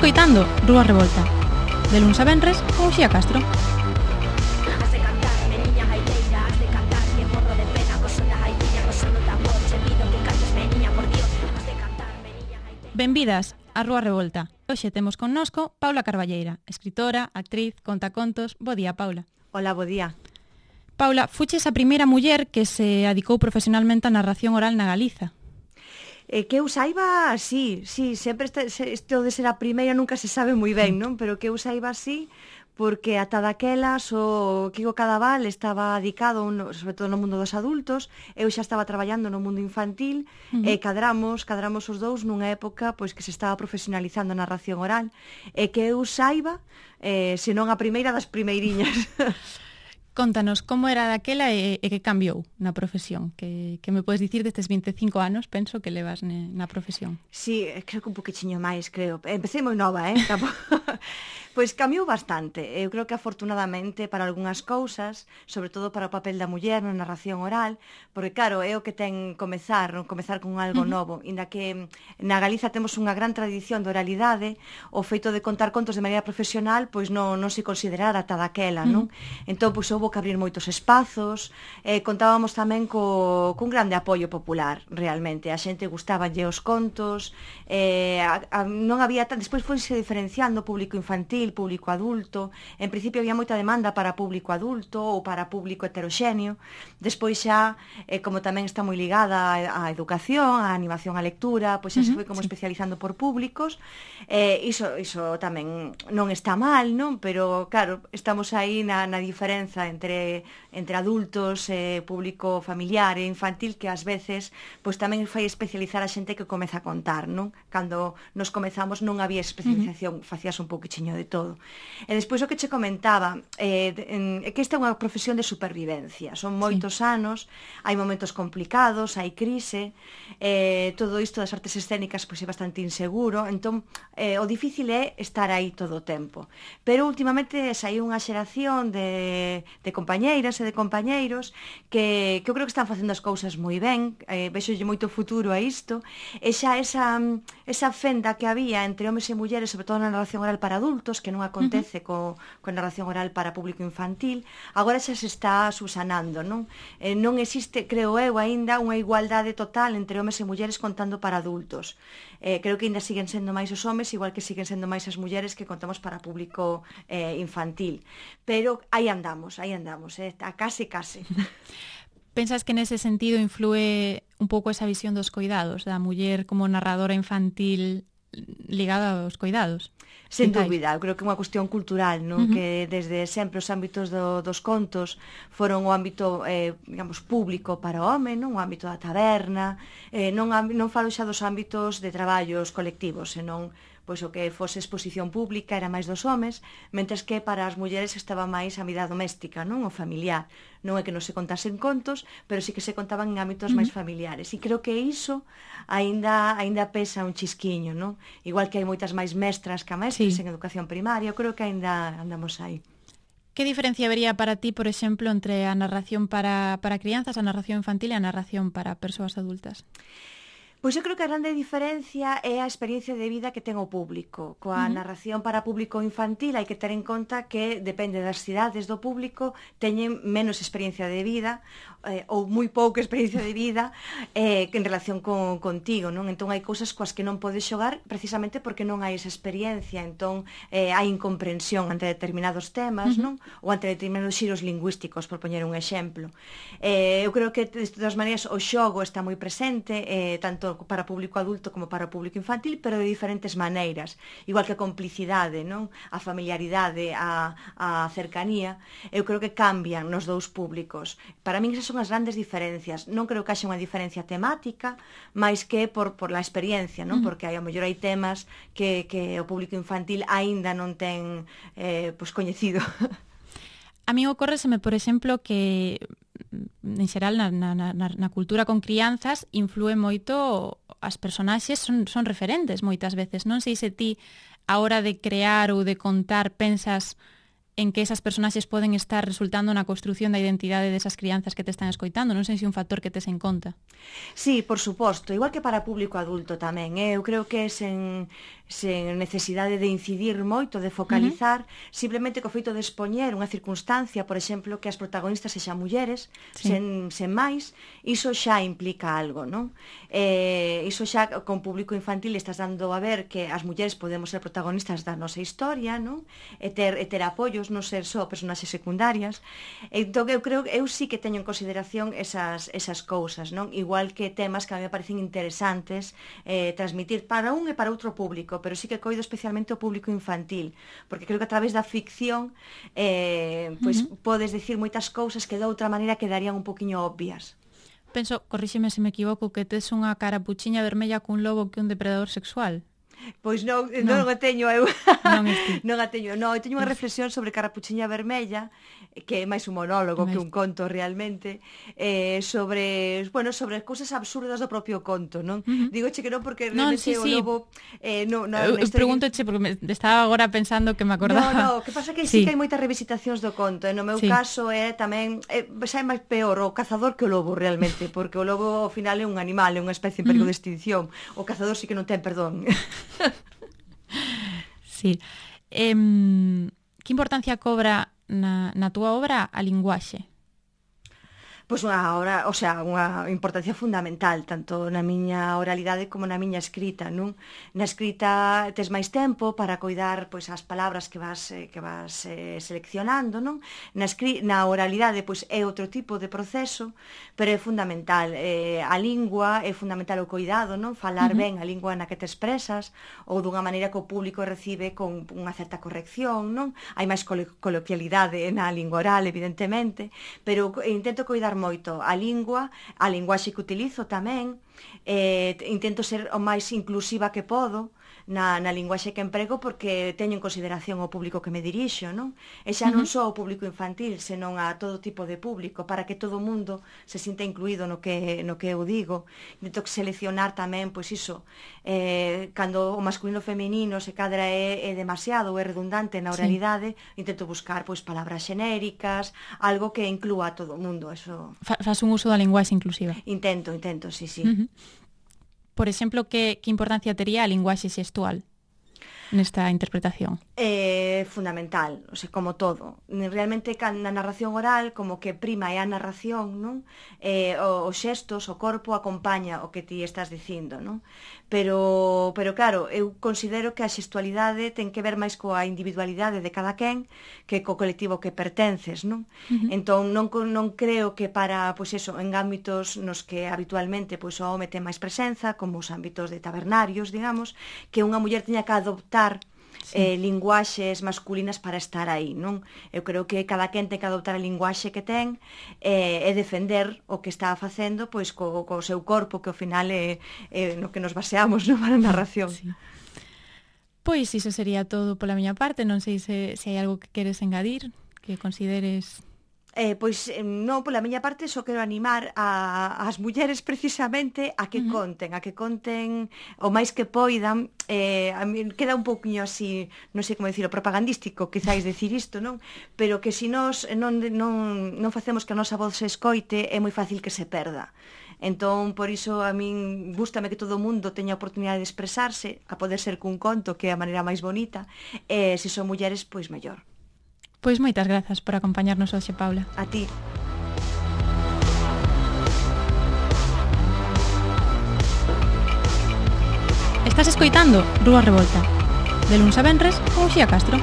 escoitando Rúa Revolta, de luns a venres con Uxía Castro. Benvidas a Rúa Revolta. Hoxe temos connosco Paula Carballeira, escritora, actriz, contacontos. Bo día, Paula. Hola, bo día. Paula, fuches a primeira muller que se adicou profesionalmente á narración oral na Galiza. Que eu saiba, sí, sempre isto de ser a primeira nunca se sabe moi ben, non? Pero que eu saiba, sí, porque ata daquelas o Quico Cadaval estaba dedicado, sobre todo no mundo dos adultos, eu xa estaba traballando no mundo infantil, e cadramos os dous nunha época pois que se estaba profesionalizando a narración oral, e que eu saiba, senón a primeira das primeiriñas. Contanos, como era daquela e que cambiou na profesión? Que me podes dicir destes 25 anos, penso, que levas na profesión? Sí, creo que un poquinho máis, creo. Empecé moi nova, Pois cambiou bastante. Eu creo que afortunadamente para algunhas cousas, sobre todo para o papel da muller na narración oral, porque claro, é o que ten comezar con algo novo, inda que na Galiza temos unha gran tradición de oralidade, o feito de contar contos de maneira profesional, pois non se considerara ata daquela, non? Entón, pois houbo que abrir moitos espazos, contábamos tamén cun grande apoio popular, realmente. A xente gustabanlle os contos, non había despois foise diferenciando público infantil, público adulto. En principio había moita demanda para público adulto ou para público heteroxéneo. Despois xa, como tamén está moi ligada á educación, á animación á lectura, pois xa se foi como especializando por públicos. Iso tamén non está mal, non? Pero claro, estamos aí na diferenza entre adultos, público familiar e infantil, que ás veces pois tamén fai especializar a xente que comeza a contar, non? Cando nos comezamos non había especialización, facías un pouquiño de todo. E despois o que che comentaba, que esta é unha profesión de supervivencia. Son moitos anos, hai momentos complicados, hai crise, todo isto das artes escénicas pois é bastante inseguro, entón o difícil é estar aí todo o tempo. Pero últimamente saiu unha xeración de compañeiras e de compañeiros que eu creo que están facendo as cousas moi ben, vexolle moito futuro a isto, e xa esa fenda que había entre homes e mulleres, sobre todo na narración oral para adultos, que non acontece coa narración oral para público infantil, agora xa se está subsanando, non? Non existe, creo eu, aínda unha igualdade total entre homes e mulleres contando para adultos. Creo que aínda siguen sendo máis os homes, igual que siguen sendo máis as mulleres que contamos para público infantil. Pero aí andamos, a case. Pensas que nese sentido influe un pouco esa visión dos coidados, da muller como narradora infantil ligada aos coidados? Sen dúbida, eu creo que é unha cuestión cultural, non? Que desde sempre os ámbitos dos contos foron o ámbito, digamos, público para o home, non? O ámbito da taberna, non falo xa dos ámbitos de traballos colectivos, senón pois o que fose exposición pública era máis dos homes, mentres que para as mulleres estaba máis a vida doméstica, non? O familiar. Non é que non se contasen contos, pero sí que se contaban en ámbitos máis familiares. E creo que iso aínda pesa un chisquiño, non? Igual que hai moitas máis mestras que mestres en educación primaria, eu creo que aínda andamos aí. Que diferencia vería para ti, por exemplo, entre a narración para crianzas, a narración infantil e a narración para persoas adultas? Pois eu creo que a grande diferencia é a experiencia de vida que ten o público. Coa narración para público infantil hai que ter en conta que depende das cidades do público, teñen menos experiencia de vida ou moi pouca experiencia de vida en relación contigo, non? Entón hai cousas coas que non podes xogar precisamente porque non hai esa experiencia, entón hai incomprensión ante determinados temas, non? Ou ante determinados xiros lingüísticos, por poñer un exemplo. Eu creo que de todas maneiras o xogo está moi presente, tanto para público adulto como para público infantil, pero de diferentes maneiras, igual que a complicidade, non? A familiaridade, a cercanía, eu creo que cambian nos dous públicos. Para min esas son as grandes diferencias. Non creo que haxa unha diferencia temática, máis que por la experiencia, non? Porque a mellor hai temas que o público infantil aínda non ten coñecido. A mí ocórreseme, por exemplo, que en xeral na cultura con crianzas influe moito, as personaxes son referentes moitas veces. Non sei se ti, a hora de crear ou de contar, pensas en que esas personaxes poden estar resultando na construción da identidade desas crianzas que te están escoitando. Non sei se é un factor que tes en conta. Sí, por suposto, igual que para público adulto tamén. Eu creo que sen sen necesidade de incidir moito, de focalizar, simplemente co feito de expoñer unha circunstancia, por exemplo, que as protagonistas sexan mulleres, sen máis, iso xa implica algo, non? Iso xa con público infantil estás dando a ver que as mulleres podemos ser protagonistas da nosa historia, non? E ter apoios, non ser só personaxes secundarias. Entón, eu sí que teño en consideración esas cousas, non? Igual que temas que a mí me parecen interesantes transmitir para un e para outro público, pero sí que coido especialmente o público infantil, porque creo que a través da ficción pois podes dicir moitas cousas que de outra maneira quedarían un poquinho obvias. Penso, corríxeme se me equivoco, que tes unha carapuchiña vermella cun lobo que un depredador sexual. Pois non a teño eu. Non a teño. Non, eu teño unha reflexión sobre Carapuchiña Vermella, que é máis un monólogo que un conto realmente, sobre cousas absurdas do propio conto, non? Digoche que non porque realmente o lobo eu preguntoche porque estaba agora pensando que me acordaba. No, que pasa que sí que hai moitas revisitacións do conto, e no meu caso é tamén xa é máis peor o cazador que o lobo realmente, porque o lobo ao final é un animal, é unha especie en perigo de extinción. O cazador sí que non ten perdón. Sí. Que importancia cobra na túa obra a linguaxe? Pois unha importancia fundamental, tanto na miña oralidade como na miña escrita, non? Na escrita tes máis tempo para coidar pois as palabras que vas seleccionando, non? Na oralidade pois é outro tipo de proceso, pero é fundamental. A lingua é fundamental o coidado, non? Falar ben a lingua na que te expresas ou dunha maneira que o público recibe con unha certa corrección, non? Hai máis coloquialidade na lingua oral, evidentemente, pero intento coidar moito a linguaxe que utilizo tamén, intento ser o máis inclusiva que podo na linguaxe que emprego porque teño en consideración o público que me dirixo, non? E xa non só o público infantil, senón a todo tipo de público, para que todo o mundo se sinta incluído no que eu digo. Intento seleccionar tamén, pois iso, cando o masculino feminino se cadra é demasiado ou é redundante na oralidade, intento buscar pois palabras xenéricas, algo que inclúa a todo o mundo. Eso. Fas un uso da linguaxe inclusiva? Intento, sí. Por exemplo, que importancia tería a linguaxe xestual nesta interpretación? Fundamental, o sea, como todo. Realmente na narración oral como que prima é a narración, non? Os xestos, o corpo acompaña o que ti estás dicindo, non? Pero claro, eu considero que a xestualidade ten que ver máis coa individualidade de cada quen que co colectivo que pertences, non? Entón non creo que para, pois eso, en ámbitos nos que habitualmente pois o home ten máis presenza, como os ámbitos de tabernarios, digamos, que unha muller teña que adoptar linguaxes masculinas para estar aí, non? Eu creo que cada quen ten que adoptar a linguaxe que ten e defender o que está facendo pois co seu corpo, que ao final é no que nos baseamos, non, para a narración. Sí. Pois iso sería todo pola miña parte, non sei se hai algo que queres engadir, que consideres... Pois non, pola miña parte só quero animar as mulleres precisamente a que conten o máis que poidan. A mí queda un pouquiño así, non sei como dicilo, propagandístico quizáis decir isto, non? Pero que se nós non facemos que a nosa voz se escoite é moi fácil que se perda. Entón, por iso a min gústame que todo o mundo teña a oportunidade de expresarse, a poder ser cun conto, que é a maneira máis bonita, e se son mulleres, pois mellor. Pois moitas grazas por acompañarnos hoxe, Paula. A ti. Estás escoitando Rúa Revolta, de luns a venres con Uxía Castro.